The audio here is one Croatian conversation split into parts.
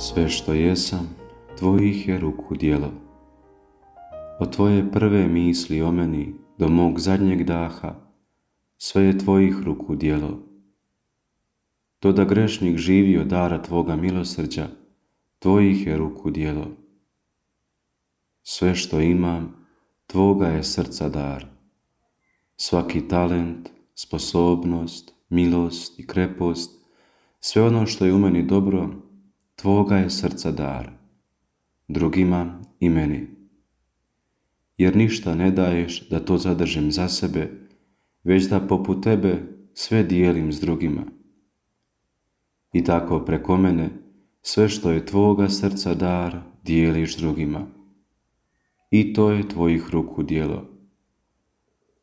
Sve što jesam, tvojih je ruku djelo. Od tvoje prve misli o meni do mog zadnjeg daha, sve je tvojih ruku djelo. To da grešnik živi od dara tvoga milosrđa, tvojih je ruku djelo. Sve što imam, tvoga je srca dar. Svaki talent, sposobnost, milost i krepost, sve ono što je u meni dobro, tvoga je srca dar, drugima i meni. Jer ništa ne daješ da to zadržim za sebe, već da poput tebe sve dijelim s drugima. I tako preko mene sve što je tvoga srca dar dijeliš drugima. I to je tvojih ruku djelo.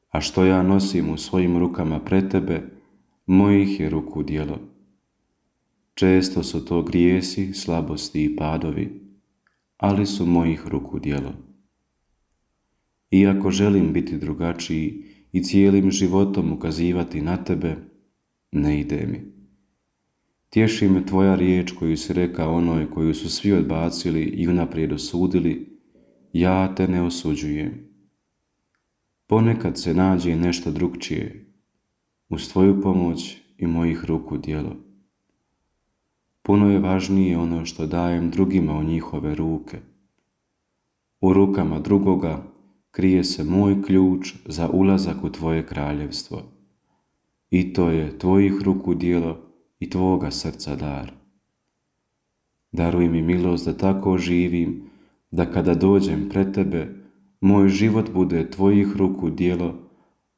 A što ja nosim u svojim rukama pred tebe, mojih je ruku djelo. Često su to grijesi, slabosti i padovi, ali su mojih ruku djelo. Iako želim biti drugačiji i cijelim životom ukazivati na tebe, ne ide mi. Tješi me tvoja riječ koju si rekao onoj koju su svi odbacili i unaprijed osudili, ja te ne osuđujem. Ponekad se nađe nešto drukčije, uz tvoju pomoć i mojih ruku djelo. Puno je važnije ono što dajem drugima u njihove ruke. U rukama drugoga krije se moj ključ za ulazak u tvoje kraljevstvo. I to je tvojih ruku djelo i tvoga srca dar. Daruj mi milost da tako živim, da kada dođem pred tebe, moj život bude tvojih ruku djelo,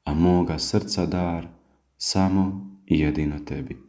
a moga srca dar samo i jedino tebi.